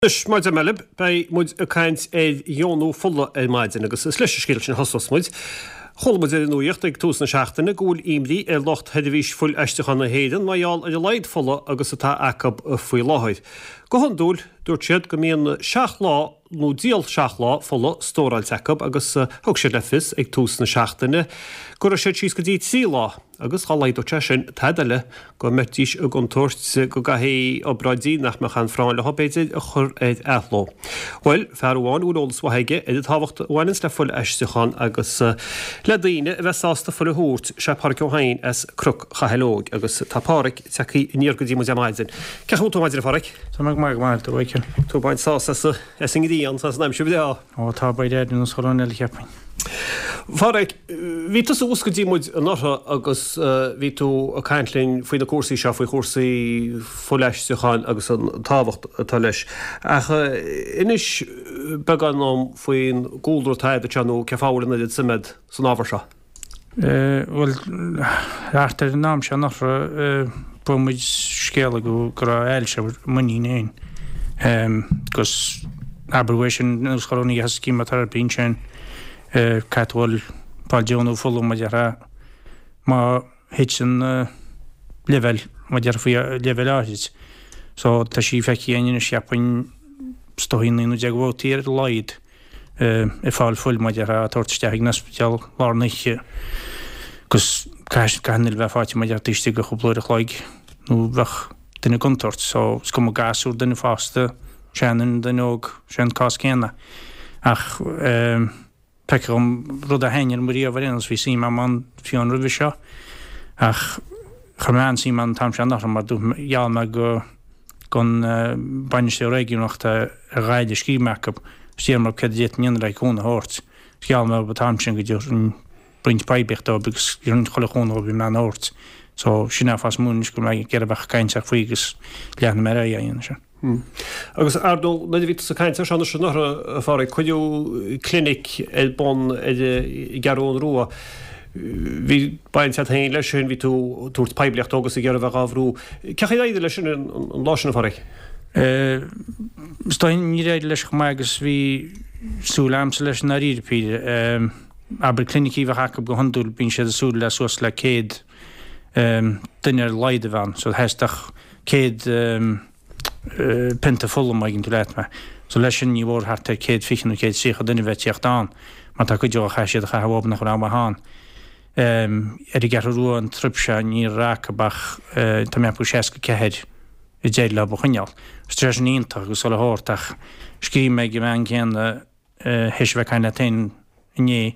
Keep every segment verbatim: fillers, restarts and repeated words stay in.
Anois, mar a deir mé libh, beidh muid ag caint ar dheonú fola ar maidin agus is leis an scéal sin a thosós muid. Chuala muid ar an nuaíocht ag tús na seachtaine go bhfuil imní ar lucht Sheirbhís Fuil-Aistriúcháin na hÉireann mar gheall ar a laghad fola agus atá acu faoi láthair. Go hiondúil, dúirt siad go mbíonn seacht lá nó diall seacht lá fola stóráilte acu agus thug siad le fios ag tús na seachtaine go raibh siad síos go dtí trí lá. Agus dhá laghdódh sé sin tada eile go mbeidís i gcontúirt go gcaithfí obráidí nach mbeadh aon phráinn leo, b'fhéidir, a chur ar athló. Bhuel, fear amháin a bhfuil eolas mhaith aige ar an tábhacht a bhaineanns le fuil-aistriúchán agus le daoine a bheith sásta fuil a thabhairt, sé Páraic Ó hEidhin as Cnoc Chathail Óig. Agus tá Páraic tagtha aniar go dtí muid ar maidin. Cén chaoi a bhfuil tú ar maidin, a Pháraic? Tá mé go maith, go maith, a Mhichíl. Tú ag baint sásamh as, as an ngrian, as an aimsir bhreá. Ó, tá, beidh ar nós chuile dhuine eile, cheapfainn. Pháraic, bhí tusa thuas go dtí muid anuraidh agus bhí tú ag caint linn faoi na cúrsaí seo, faoi chúrsaí fuilaistriúcháin agus an tábhacht atá leis. Ach inis beagán dom faoin gcúlra atá agat anseo nó cén fáth a bhfuil an oiread suime agat san ábhar seo. Bhuel, thart ar an am seo anuraidh, fuair muid scéala go raibh ailse ar m'iníon féin agus abair uaidh sin anuas chuile dhuine a thosaigh cheemotherapy ansin, caithfidh tú dhul fáil deonú fola mar a déarfá má thiteann leibhéal mar a déarfá faoi leibhéal áithrid. So tá sí feicthe againn anois cheapfainn is dóigh naoi nó deich de bhabhtaí ar a laghad ag fáil fuil mar a déarfá á tabhairt isteach ag an ospidéal lár na hoíche agus caithfidh an fhuil bheith faighte mar a déarfá taobh istigh de chúpla uair a chloig nó bheadh duine i gcontúirt. So is cuma gasúr, duine fásta, seanduine, duine óg, sé an cás céanna. Ach feictear dhom rud a thaitnigh liom riamh ar aon nós, bhí suim agam ann fiú amháin roimhe seo ach chuir mé an-suim ann an t-am seo anuraidh mar dúirt gheall mé go gon bainisteoir réigiúnach atá ar Ghaillimh scríobh mé acu agus d'iarr mé orthu céard a d'fhéadfainn a dhéanamh le cúnamh a thabhairt. Gheall mé orthu an t-am sin go dtabharfainn roinnt poiblíochta dóibh agus roinnt chuile chúnamh a bhí mé in ann a thabhairt. So sin é an fáth is mó anois go bhfuil mé ag iarraidh a bheith ag caint faoi agus leathnú mé ar aghaidh á dhéanamh sin. Agus ar ndóigh, nuair a bhí tusa ag caint air seo anois anuraidh, a Pháraic, cuireadh clinic ar bun ar an gCeathrú Rua. Bhí baint agat féin leis sin, bhí tú ag tabhairt poiblíochta dó agus ag iarraidh a bheith á bhrú. Cén chaoi ar éirigh leis sin an lá sin, a Pháraic? Is dóigh níor éirigh leis chomh maith agus bhí súil agamsa leis i ndáiríre píre. Abair clinicí a bheadh acu go hiondúil bíonn siad ag súil le suas le céad duine ar a laghad a bheith ann. So theastódh céad pionta fola má thuigeann tú leat mé. So leis sin ní mhór thart ar céad fiche nó céad tríocha duine a bheith ag tíocht ann mar tá cuid dhó chaith siad a chaitheamh uathu nach raibh maith ann. Ar an gCeathrú Rua an trip seo ní raibh acu ach tá mé ag ceapadh seasca ceathair a d'éirigh leo a choinneáil. Tá sé sin iontach agus chuile shórt ach scríobh mé ag an mbean céanna théis a bheith ag caint leat féin inné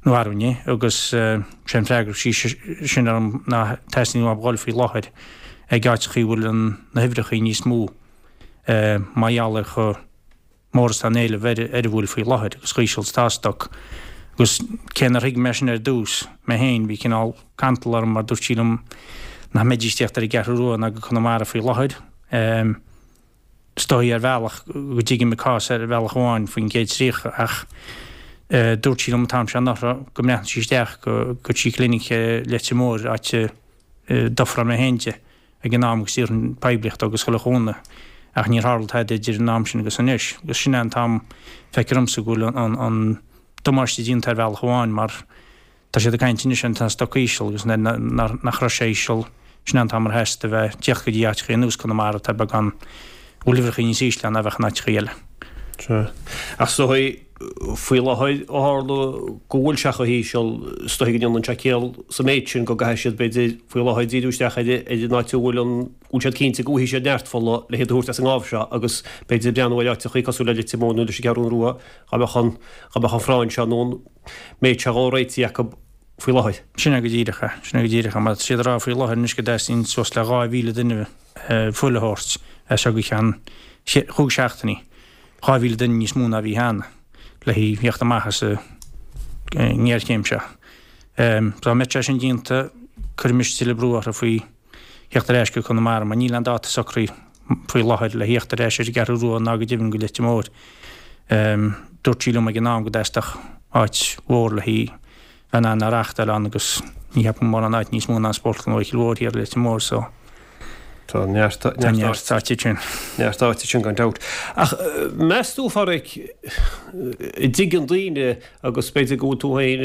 nó arú inné agus sé an freagra sí sin orm ná teastaíonn uathu dhul faoi láthair ag áiteachaí a bhfuil na huimhreachaí níos mó mar gheall ar chomh mór is atá an éileamh ar ar an bhfuil faoi láthair agus chomh híseal is atá stoc. Agus cé nár thuig mé sin ar dtús mé féin bhí cineál cantal orm mar dúirt sí liom nach mbeidís ag tíocht ar an gCeathrú Rua ná go Conamara faoi láthair. Is dóigh ar bhealach go dtuigim a cás ar bhealach amháin faoin gcéad tríocha ach dúirt sí liom an t-am seo anuraidh go mbreathnódh sí isteach go go trí clinic Leitir Móir áit a d'ofráil mé féin di ag an am agus d'iarrfainn poiblíocht agus chuile chúnamh ach níor tharla tada idir an am sin agus anois agus sin é an t-am feictear domsa go bhfuil an an damáiste déanta ar bhealach amháin mar Tá siad ag caint anois an stoc íseal agus nach raibh sé íseal, sin é an t-am ar theastaigh a bheith ag tíocht go dtí áiteachaí ar nós Conamara atá beagán, a bhfuil uimhreachaí níos ísle ann ná bheadh in áiteachaí eile. Sea. Ach is dóigh, faoi láthair, ó tharla go bhfuil sé chomh híseal, is dóigh go ndéanann sé ciall sa méid sin go gcaithfidh siad, b'fhéidir, faoi láthair díriú isteach ar an áit a bhfuil an, go bhfuil siad cinnte go bhfaighidh siad neart fola le hiad a thabhairt as an ngábh seo agus b'fhéidir breathnú ar áiteachaí cosúil le Leitir Móir nó leis an gCeathrú Rua dhá mbeadh an, dhá mbeadh an phráinn seo nó an méid seo dhó réitithe acu faoi láthair. Sin é go díreach é. Sin é go díreach é. Mar tá siad ag rá faoi láthair anois go dteastaíonn suas le dhá mhíle duine fuil a thabhairt as seo go ceann chúig seachtainí. Dhá mhíle duine níos mó ná bhí cheana le theacht amach as an ngéarchéim seo. Dá mbeadh sé sin déanta, cuirfimis tuilleadh brú orthu faoi theacht ar ais go Conamara mar níl aon dáta socraithe faoi láthair le theacht ar ais ar an gCeathrú Rua ná go deimhin go Leitir Móir. Dúirt sí liom ag an am go dteastódh áit mhór le bheith in ann a reáchtáil ann agus ní cheapaim mórán áit níos mó ná an Spórtlann Mhichíl Mhóir thiar i Leitir Móir so. Tá neart Tá neart áite sin. Neart áite sin gan dabht. Ach meas tú a Pháraic, an dtuigeann daoine agus b'fhéidir go bhfuil tú féin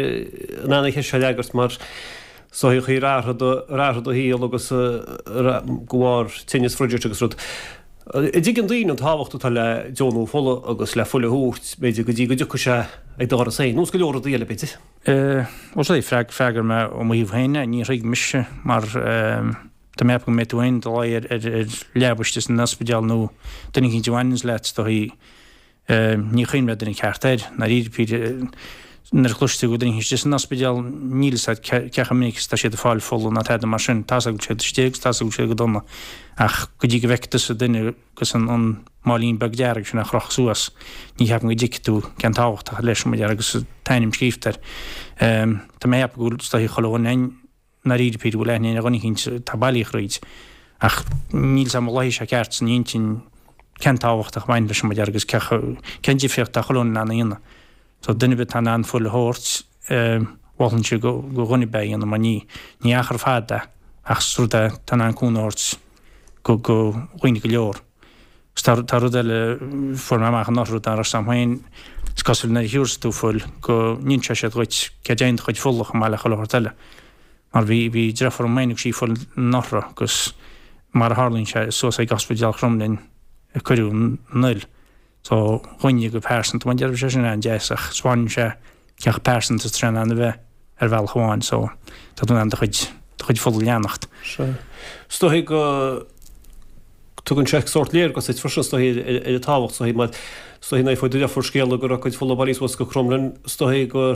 in ann an cheist seo a fhreagairt mar is dóichí ar athraigh do ar athraigh do shaol agus go bharr tinneas Bhridget agus rud. An dtuigeann daoine an tábhacht atá le deonú fola agus le fuil a thabhairt b'fhéidir go dtí go dtiocfaidh sé ag do dhoras féin, nós go leor rudaí eile b'fhéidir. Bhuel sea, freagróidh mé ó mo thaobh féin, ní thuig mise mar Tá mé ag ceapadh go mbeidh tú féin i do luí ar leaba istigh san ospidéal nó duine eicínt a bhaineanns leat, is dóichí. Ní chuimhneoidh duine ceart air, ndáiríre píre. Nuair a chloistear go bhfuil duine eicínt istigh san ospidéal, níl fhios agat cé chomh minic is atá siad ag fáil fola ná tada mar sin. Tá's agat go bhfuil siad istigh agus tá's agat go bhfuil siad go dona. Ach go dtí go bhfeicfidh tusa duine agus an máilín beag dearg sin á chrochadh suas, ní cheapaim go dtuigfidh tú cén tábhacht atá leis, mar agus an t-ainm scríobhta air. Tá mé ag ceapadh go bhfuil, is dóichí, chuile dhuine againn, ndáiríre píre, bhfuil aithne ar dhuine eicínt atá bailí thríd. Ach níl 's a'm an luífidh sé ceart san intinn cén tábhacht a bhain leis an mbuidéal agus cén difríocht atá chuile dhuine in ann a dhéanamh. So duine ar bith atá in ann fuil a thabhairt, mholfainnse go dhuine ar bith é a dhéanamh mar ní ní achar fada é ach is rud é atá in ann cúnamh a thabhairt go go dhaoine go leor. Agus tá tá rud eile fuair mé amach anuraidh rud nach raibh 's a'm féin, is cosúil nuair a thiúrfas tú fuil go n-inseoidh siad dhuit cé dtéann do chuid fola chomh maith le chuile shórt eile. Mar bhí, bhí deirfiúr agam féin, thug sí fuil anuraidh agus mar a tharlaíonn sé, suas ag Ospidéal Chromghlinn a cuireadh an fhuil. So, dhúinne go pearsanta, mar a déarfá, bhí sé sin an-deas ach spáineann sé cé chomh pearsanta is atá sé in ann a bheith ar bhealach amháin so tá tú in ann do chuid, do chuid fola a leanacht. Sea. Is dóigh go. Tugann sé sórt léargas duit freisin, is dóigh, ar an tábhacht, is dóigh, mar is dóigh nuair a fuair do dheirfiúr scéala go raibh cuid fola bailithe suas go Cromghlinn, is dóigh gur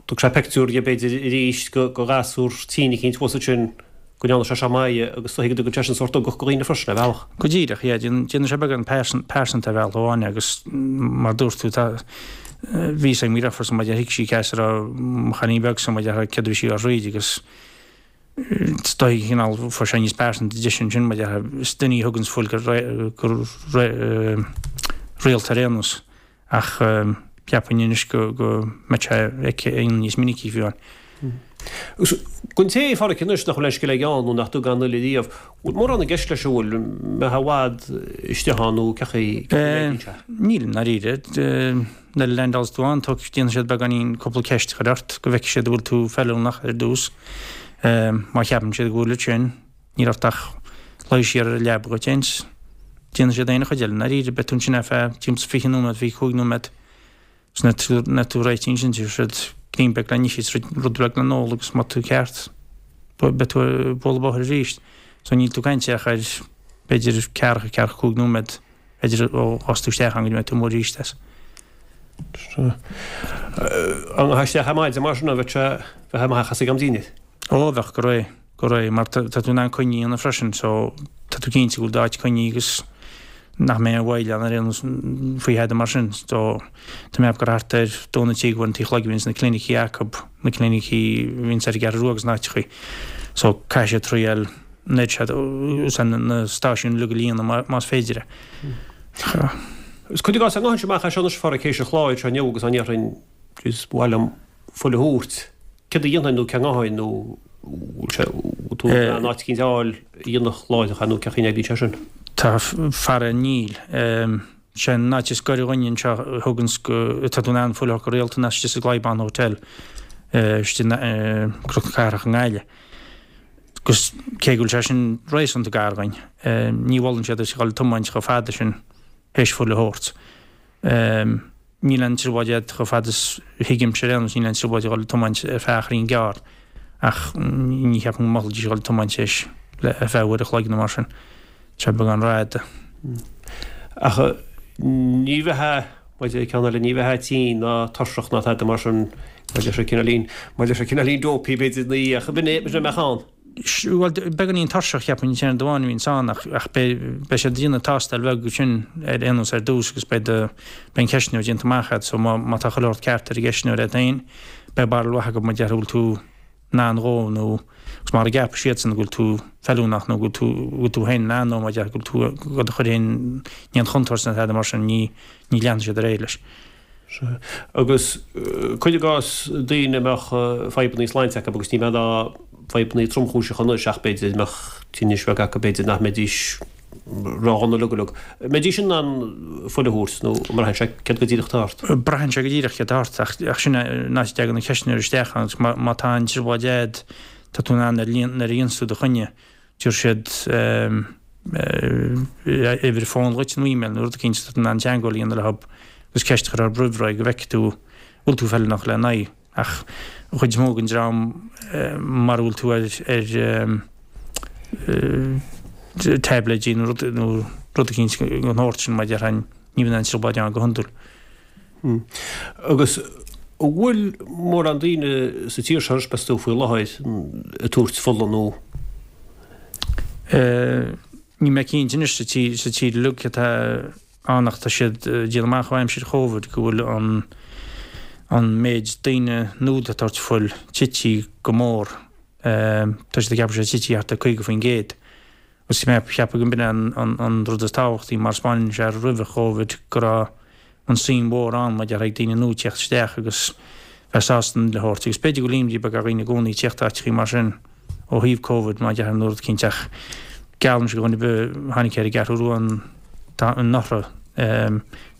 thug sé pictiúr di b'fhéidir arís go ghasúr tinn eicínt thuas ansin go ndearna sé seo maith agus is dóigh go dtugann sé sin sórt ugach go dhaoine freisin, ar bhealach. Go díreach, yeah, déanann sé beagán pearsanta ar bhealach amháin agus mar dúirt tú, tá, bhí 'fhios ag mo dheirfiúr mar thuig sí cé as a raibh mo chailín beagsa mar céard a bhí sí á throid agus Is dóigh, cineál, fuair sé níos pearsanta dise ansin, mar déarfá, is duine í a thuganns fuil go rialta ar aon nós, ach cheapfainn anois go mbeadh sé aici a dhéanamh níos minicí fiú amháin. Agus don té, a Pháraic, anois nach bhfuil aon scil aige ann nó nach dtug aon fhuil ariamh, bhfuil mórán i gceist leis an bhfuil, mbeifeá i bhfad istigh ann nó cén chaoi a n-oibríonn sé? Níl, i ndáiríre. Nuair a leaindeálas tú ann, déanfaidh siad beagáinín cúpla ceist a chur ort go bhfeicfidh siad an bhfuil tú feiliúnach ar dtús. Má cheapann siad go bhfuil ansin, níl ort ach luí siar ar an leaba dhuit féin 's déanfaidh siad aon chuid eile. I ndáiríre, beidh tú ansin ar feadh timpeall is fiche nóiméad, fiche cúig nóiméad. 'S nuair atá tú réitithe ansin, tabharfaidh siad greim beag le n-ithe 's rud beag le n-ól agus má tá tú ceart, beidh tú ag bualadh bóthair arís. So níl tú ag caint ach ar b'fhéidir ceathracha, ceathracha cúig nóiméad, b'fhéidir ó ghabhfas tú isteach ann go dtí go mbeidh tú amuigh arís as. An ngabhfá isteach ar maidin mar sin, bheadh sé, bheadh amach as ag am dinnéir? Ó, bheadh, go réidh, go réidh, mar tá tú in ann coinne a dhéanamh freisin, so tá tú cinnte go bhfuil d'áit coinnithe agus nach mbeidh aon mhoill ann ar aon nós faoi thada mar sin. So, tá mé ag ceapadh gur thart ar dó nó trí go a trí a chlog a bhíonns na clinicí acu, na clinicí a bhíonns ar an gCeathrú Rua agus in áiteachaí. So, caithfidh siad triail an oiread sin, na stáisiúin uilig a líonadh más féidir é. Is cuir i gcás, dá ngabhfainnse amach as seo anois a Pháraic théis an chláir seo inniu agus dá ndéarfainn, jeez, ba mhaith liom fuil a thabhairt, céard a dhéanfainn nó cá ngabhfainn nó bhfuil sé, bhfuil tú in ann áit eicínt a fháil a dhéanfadh láithreach é nó cén chaoi a n-oibríonn sé sin? Tá, faraor níl. Sé an áit is gaire dhúinne anseo a thuganns go, atá tú in ann fuil a thabhairt go rialta ná istigh sa Clybaun Hotel istigh i gCnoc na Cathrach i nGaillimh. Agus cé go bhfuil sé sin réasúnta gar dhuinn, ní mholann siad duit a dhul ag tiomáint chomh fada sin théis fuil a thabhairt. Níl aon trioblóid agat chomh fada is a thuigimse ar aon nós, níl aon trioblóid a dhul ag tiomáint ar feadh achairín gearr ach ní cheapaim go molfaidís a dhul ag tiomáint théis ar feadh uair a chloig nó mar sin. Tá sé beagán rófhada. Ach ní bheifeá, maidir le ceann eile, ní bheifeá tinn ná tuirseach ná tada mar sin, maidir leis an cineáilín, maidir leis an cineáilín dopey b'fhéidir ina dhiaidh, ach b'in é, b'in é a mbeadh ann. Bhuel, beagáinín tuirseach, cheapfainn, an t-aon rud amháin a bhíonns ann, ach, ach beidh, beidh siad ag déanamh tástáil bheag ansin ar aon nós ar dtús agus beidh do, beidh an ceistneoir déanta amach agat, so má, má tá chuile shórt ceart ar an gceistneoir agat féin, beidh barúil mhaith acu má déarfá go bhfuil tú in ann dhó nó, agus mara gceapfaidh siadsan go bhfuil tú feiliúnach nó go bhfuil tú, go bhfuil tú féin in ann dó, má déarfá go bhfuil tú, go do chur féin in aon chontúirt nó tada mar sin, ní, ní leanfaidh siad ar aghaidh leis. Sea. Agus cuir i gcás daoine a mbeadh fadhbanna sláinte acu agus ní bheadh ná fadhbanna tromchúiseacha anois ach b'fhéidir mbeadh tinnis bheag acu b'fhéidir nach mbeidís ródhona uilig uilig. An mbeidís in ann fuil a thabhairt nó an mbraitheann sé céard go díreach atá ort? Braitheann sé go díreach céard atá ort ach ach sin an áit a dtagann na ceisteanna isteach agus má má tá an trioblóid a'd tá tú in ann ar líon nuair a dhéananns tú do choinne tabharfaidh siad uimhir fóin dhuit nó email nó rud eicínt tá tú in ann teagmháil a dhéanamh leo agus ceist a chur orthu roimh ré go bhfeicfidh tú bhfuil tú feiliúnach lena n-aghaidh. Ach an chuid is mó den dream mara bhfuil tú ar ar taibléidí nó rud nó rud eicínt den shórt sin mar a déarfainn ní bhíonn aon trioblóid ann go hiondúil. Agus an bhfuil mórán daoine sa tír seo anois meas tú faoi láthair ag tabhairt fola nó? Níl mé cinnte anois sa tír sa tír uilig atá ann ach tá siad ag déanamh amach ó aimsir Chóvid go bhfuil an an méid daoine nua ag tabhairt fuil tití go mór. Tá siad ag ceapadh sé tití thart ar caoga faoin gcéad. Agus mé ag ceapadh go mb'in é an an rud is tábhachtaí mar 'spáineann sé roimhe Chóvid go raibh an suim mhór ann maidir le daoine nua teacht isteach agus bheith sásta an fhuil a thabhairt agus b'fhéidir go bhfuil imní beag ar dhaoine i gcónaí teacht áiteachaí mar sin ó thaobh Covid má déarfainn nó rud eicínt ach geallaimse do dhuine ar bith a tháinig ar an gCeathrú Rua anuraidh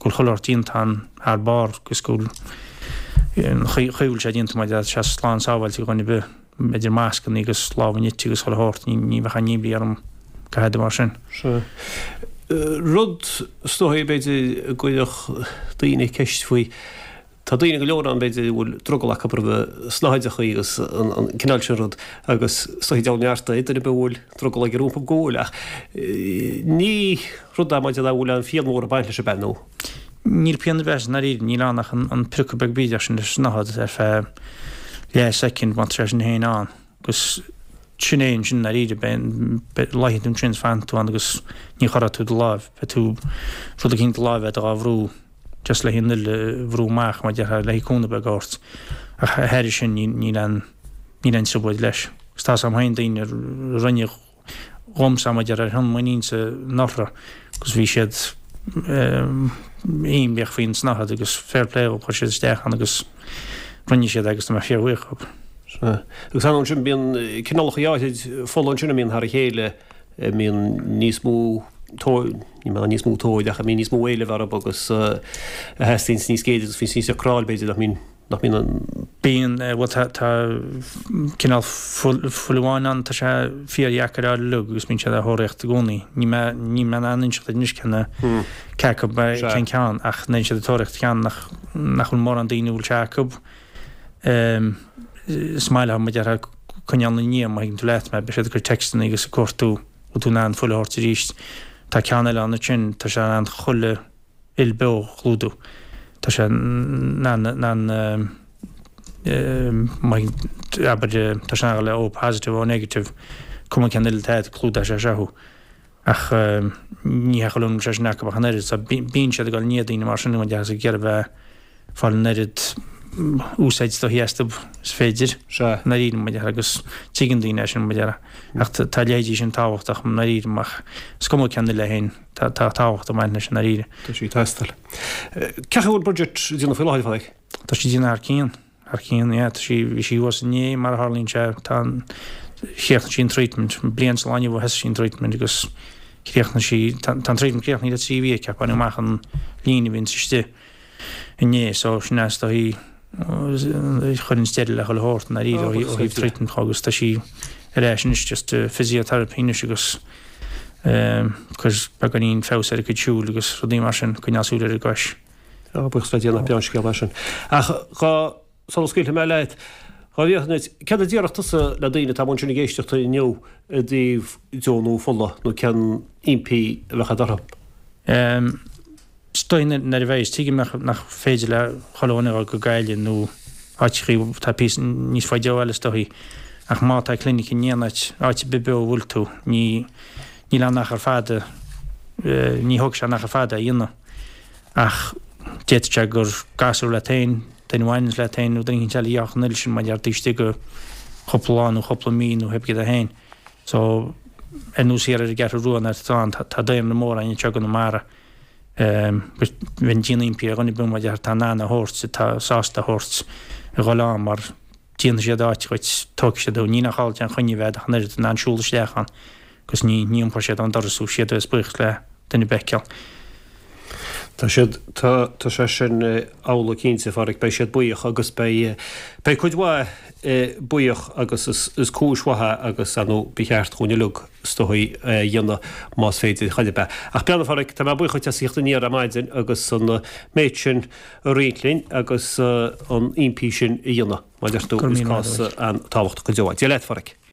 go bhfuil chuile shórt déanta ann thar barr agus go bhfuil an chaoi a bhfuil sé déanta maidir le sé slán sábháilte do dhuine ar bith. Idir mascanna agus lámha nite agus chuile shórt, ní bheadh aon imní orm go fada mar sin. Sea. Rud, is dóigh, b'fhéidir, a gcuirfeadh daoine ceist faoi, tá daoine go leor ann, b'fhéidir, a bhfuil drogall acu roimh snáthaidreachaí agus an cineál sin rud agus is dóigh deabhal neart é duine ar bith a bhfuil drogall aige rompu go bhfuil ach ní rud é maidir le bhfuil aon phian mhór ag baint leis ab ea nó? Níl pian ar bith i ndáiríre, níl ann ach an priocadh beag bídeach sin leis an snáthaid ar feadh leath soicind má tá sé sin féin ann agus sin é ansin i ndáiríre, beidh, luífidh tú ansin is fanfaidh tú ann agus ní chorróidh tú do láimh, beidh tú rud eicínt do láimh agat dhá bhrú just le an fhuil a bhrú amach mar a déarfá le cúnamh beag a thabhairt ach thairis sin níl aon níl aon trioblóid leis. Agus tá 's a'm féin daoine a rinne dhomsa mar a déarfá ar shon m'iníonsa anuraidh agus bhí siad imníoch faoin tsnáthaid agus fair play dhóibh chuir siad isteach ann agus rinne siad é agus tá mé fíorbhuíoch dhóibh. Sea. Agus ar ndóigh ansin bíonn cineálacha áirid fola ansin a mbíonn thar a chéile, a mbíonn níos mó tóir, ní mbeadh níos mó tóir ach a mbíonn níos mó éilimh orthu agus a theastaíonns níos géire agus bhíonns níos deacráil b'fhéidir nach mbíonn nach mbíonn an. Bíonn, bhuel tá, tá cineál fuil, fuil amháin ann, tá sé fíordheacair a fháil uilig agus bíonn siad á thóraíocht i gcónaí. Níl mé, níl mé in ann inseacht duit anois cén, cé acu, cén ceann ach nuair siad ag tóraíocht ceann nach, nach bhfuil mórán daoine a bhfuil sé acu. Is maith leo mar a déarfá coinneáil ina ndiaidh má thuigeann tú leat mé, beidh siad ag cur téacsanna agus ag cuartú bhfuil tú in ann fuil a thabhairt arís. Tá ceann eile ann ansin, tá sé in ann chuile fhuil beo a chlúdú. Tá sé in ann, in ann, abair, tá sé in ann le O positive, O negative, cuma cén fhuil atá agat, clúdóidh sé seo thú. Ach ní hé chuile dhuine a bhfuil sé sin acu ach an oiread. So bíonn siad ag dul i ndiaidh daoine mar sin, mar a déarfá, ag iarraidh bheith fáil an oiread úsáid is dóichí astu is féidir. Sea. I ndáiríre, mar a déarfá, agus tuigeann daoine é sin, mar a déarfá. Ach tá a leithéidí sin tábhachtach i ndáiríre, ach is cuma cén fhuil é féin, tá tábhacht ag baint leis i ndáiríre. Tá sí ag teastáil. Cén chaoi a bhfuil Bridget ag déanamh faoi láthair, a Phádraig? Tá sí ag déanamh thar cionn, thar cionn, yeah. Tá sí, bhí sí thuas inné, mar a tharlaíonn sé, tá an, chríochnaigh sí an treatment, bliain sa lá inniu a thosaigh sí an treatment agus chríochnaigh sí, tá an treatment críochnaithe le trí mhí aici ach baineadh amach an líon a bhíonns istigh. inné so sin é is dóichí chuireann deireadh le chuile shórt i ndáiríre ó thaobh treatment dhó agus tá sí ar ais anois just physiotherapy anois agus cur beagáinín feabhas ar a cuid siúil agus rudaí mar sin, coinneáil súil ar an gcois. Á, buíochas le Dia nach breá an scéal é sin. Ach dhá, sula scaoilfidh mé leat, dhá bhfiafraí duit, céard a déarfadh tusa le daoine atá amuigh ansin ag éisteacht inniu i dtaobh deonú fola nó cén impí a bheadh agat orthu? Is dóigh nuair a bheidh, tuigim nach féidir le chuile dhuine a dhul go Gaillimh nó áiteachaí atá píosa níos faide ó bhaile is dóichí, ach má tá clinic in aon áit, áit ar bith beo a bhfuil tú, ní, níl aon achar fada, ní thógfaidh sé aon achar fada é a dhéanamh. Ach d'fhéadfadh sé gur gasúr leat féin, duine a bhaineanns leat féin nó duine éicint eile a gheobhadh an fhuil sin mar gheall taobh istigh de chúpla lá nó chúpla mí nó pé céard é féin. So, ar nós thiar ar an gCeathrú Rua an áit atá ann, tá daonra mór ann anseo i gConamara. Bheinn ag déanamh impí ar dhuine ar bith mar a déarfá atá in ann a thabhairt, atá sásta a thabhairt, a dhul ann mar Déanfaidh siad áit dhuit, tógfaidh siad thú, ní nach áil déan choinne bheith ach an oiread in ann siúl isteach ann agus ní ní iompróidh siad ón doras thú, siad a bheas buíoch le duine ar bith a fheiceáil. Tá siad, tá, tá sé sin amhlaidh cinnte, a Pháraic, beidh siad buíoch agus beidh, beidh cuid mhaith buíoch agus is, is cúis mhaith é agus, ar ndóigh, ba cheart dhúinn uilig, is dóigh, é a dhéanamh más féidir chor ar bith. Ach breathnaigh, a Pháraic, tá mé buíoch dhuit as a theacht aniar ar maidin agus an méid sin a roinnt linn agus an impí sin a dhéanamh, mar a deir tú, is cás an-tábhachtach go deo é. Dia leat, a Pháraic.